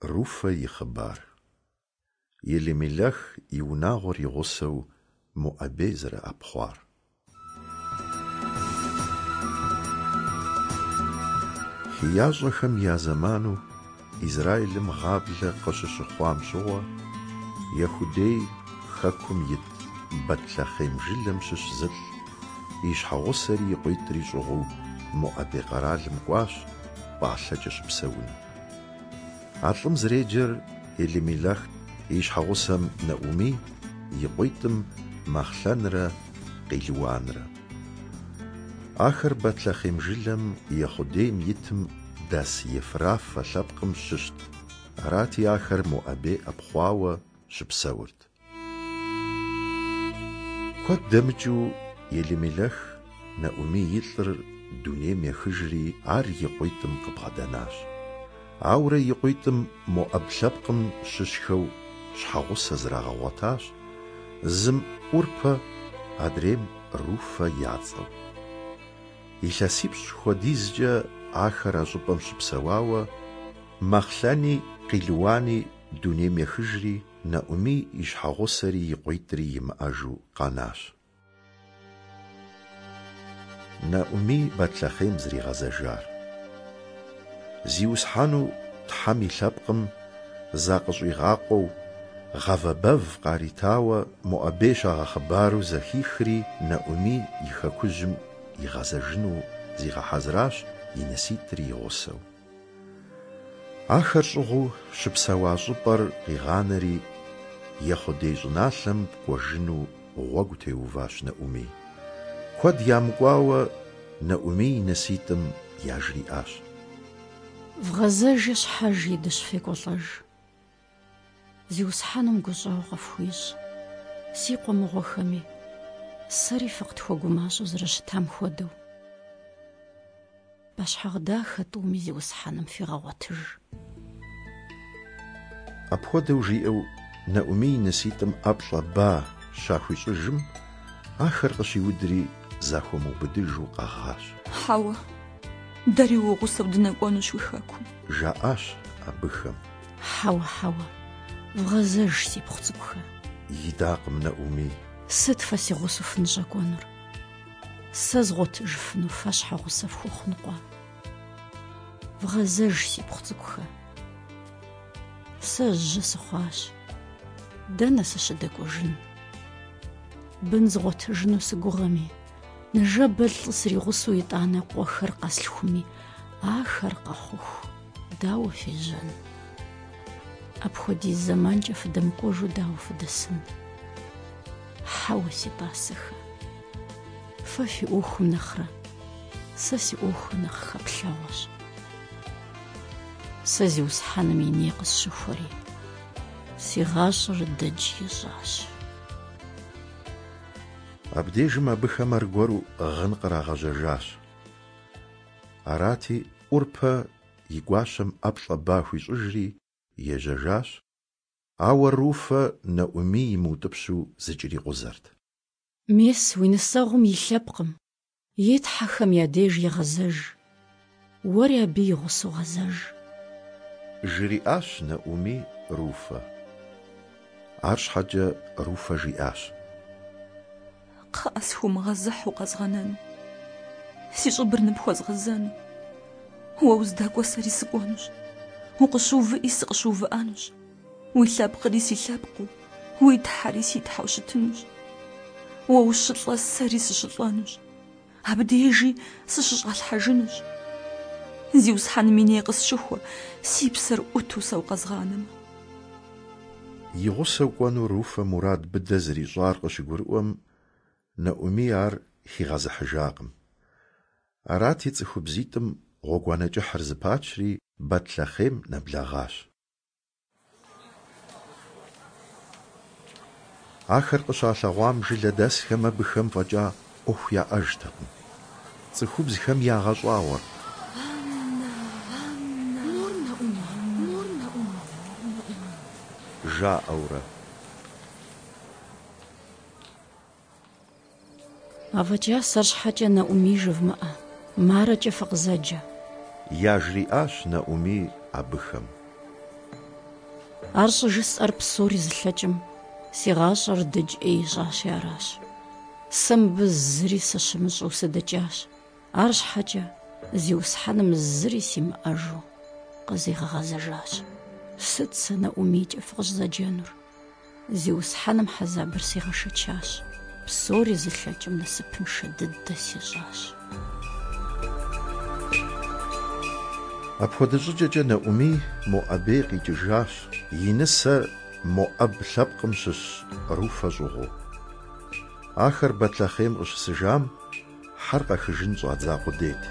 Руфэ и хъыбар. Елимелэх и унагъуэр и гъусэу Моӏэбей зэрыӏэпхъуар. Хеящӏэхэм я зэману Израилым гъаблэ къыщыщыхъуам щыгъуэ, Ехудей хэкум ит Бэтлъэхъем жылэм щыщ зылӏ, и щхьэгъусэри и къуитӏри щӏыгъуу Моӏэбей къэралым кӏуащ пӏалъэкӏэ щыпсэуну. А лӏым зэреджэр Елимелэхт, и щхьэгъусэм Нэӏумий, и къуитӏым Махълэнрэ Къилуанрэ. Ахэр Бэтлъэхъем жылэм Ехъудейм итым дэс Ефрафэ лъэпкъым щыщт, арати, ахэр Моӏэбей ӏэпхъуауэ щыпсэурт. Куэд дэмыкӏыу Елимелэх Нэӏумий и лӏыр дунейм ехыжри, ар и къуитӏым къыбгъэдэнащ. Ауэрэ и къуитӏым моӏэб лъэпкъым щыщхэу щхьэгъусэ зрагъэгъуэтащ, зым ӏурпэ, адрейм Руфэ я цӏэу. Илъэсипщӏ хуэдизкӏэ ахэр а щӏыпӏэм щыпсэуауэ, Махълэни Къилуани дунейм ехыжри, Нэӏумий и щхьэгъусэри и къуитӏри имыӏэжу къэнащ. Нэӏумий Бэтлъэхъем зэригъэзэжар. Зиусхьэну Тхьэм и лъэпкъым закъыщӏигъакъуэу, гъавэ бэв къаритауэ Моӏэбей щагъэхъыбару зэхихри, Нэӏумий и хэкужьым игъэзэжыну зигъэхьэзыращ и ныситӏри и гъусэу. Ахэр щӏыгъуу щыпсэуа щӏыпӏэр къигъанэри, Ехъудей щӏыналъэм кӏуэжыну гъуэгу теуващ Нэӏумий. Куэд ямыкӏуауэ Нэӏумий и ныситӏым яжриӏащ. Вгъэзэжи щхьэж и дыщ фекӏуэлӏэж. Зиусхьэным гущӏэгъу къыфхуищӏ, си къуэ мыгъуэхэми, сэри фыкъытхуэгумащӏэу зэрыщытам хуэдэу. Пӏэщхьагъ дахэ тӏуми Зиусхьэным фигъэгъуэтыж. Апхуэдэу жиӏэу Нэӏумий и ныситӏым ӏэплӏэ ба щахуищӏыжым, ахэр къыщиудри захуэмыубыдыжу къэгъащ. Хьэуэ, дэри уи гъусэу дынэкӏуэнущ уи хэкум. Жаӏащ абыхэм. Хьэуэ, хьэуэ, вгъэзэж, сипхъу цӏыкӏухэ. Идакъым Нэӏумий. Сыт фэ си гъусэу фыныщӏэкӏуэнур? Сэ згъуэтыжыфыну фэ щхьэгъусэ фхуэхъун къуэ? Вгъэзэж, сипхъу цӏыкӏухэ. Сэ жьы сыхъуащ. Дэнэ сыщыдэкӏуэжын? Бын згъуэтыжыну сыгугъэми, ныжэбэ лӏы сригъусэу итӏанэ къуэхэр къэслъхуми, ахэр къэхъуху дауэ фежьэн? Апхуэдиз зэманкӏэ фыдэмыкӏуэжу дауэ фыдэсын? Хьэуэ, си тӏасэхэ, фэ фи ӏуэхум нэхърэ сэ си ӏуэхур нэхъ хэплъэгъуэщ. Сэ Зиусхьэным и ней къысщыхуэри, си гъащӏэр дыдж ищӏащ. Абдежым абыхэм аргуэру гъын кърагъэжьэжащ. Арати, ӏурпэ и гуащэм ӏэплӏэ ба хуищӏыжри ежьэжащ, ауэ Руфэ Нэӏумий имыутӏыпщу зыкӏэрикъузэрт. Мес, уи нысэгъум и лъэпкъым, и тхьэхэм я деж егъэзэж, уэри абы и гъусэу гъэзэж. Жриӏащ Нэӏумий Руфэ. Арщхьэкӏэ Руфэ жиӏащ. Кхъыӏэ, схыумыгъэзыхь укъэзгъэнэну, си щӏыбыр ныпхуэзгъэзэну. Уэ уздэкӏуэ сэри сыкӏуэнущ, укъыщыувыӏи сыкъыщыувыӏэнущ. Уи лъэпкъри си лъэпкъыу, уи Тхьэри си Тхьэу щытынущ. Уэ ущылӏэ сэри сыщылӏэнущ, абдежи сыщыщӏалъхьэжынущ. Зиусхьэным и ней къысщыхуэ, си псэр ӏуту сэ укъэзгъанэмэ. И гъусэу кӏуэну Руфэ мурад быдэ зэрищӏар къыщыгурыӏуэм, Нэӏумий ар хигъэзыхьыжакъым. Арати, цӏыхубзитӏым гъуэгуанэ кӏыхьыр зэпачри, Бэтлъэхъем нэблэгъащ. Ахэр къыщалъэгъуам жылэдэсхэм абыхэм фӏэкӏа ӏуэху яӏэжтэкъым. Цӏыхубзхэм ягъэщӏагъуэрт. Жаӏэурэ. Афӏэкӏа сэр щхьэкӏэ Нэӏумий жывмыӏэ, Марэкӏэ фыкъызэджэ. Яжриӏащ Нэӏумий абыхэм. Ар щӏыжысӏэр псори зылъэкӏым си гъащӏэр дыдж ӏей ищӏащи аращ. Сэ мыбы зыри сыщымыщӏэу сыдэкӏащ. Арщхьэкӏэ Зиусхьэным зыри симыӏэжу къызигъэгъэзэжащ. Сыт сэ Нэӏумийкӏэ фыкъыщӏызэджэнур? Зиусхьэным хьэзабыр сигъэшэчащ, псори зылъэкӏым насыпыншэ дыдэ сищӏащ. Апхуэдэ щӏыкӏэкӏэ Нэӏумий Моӏэбей къикӏыжащ, и нысэ моӏэб лъэпкъым щыщ Руфэ щӏыгъуу. Ахэр Бэтлъэхъем къыщысыжам, хьэр къэхыжын щӏадза къудейт.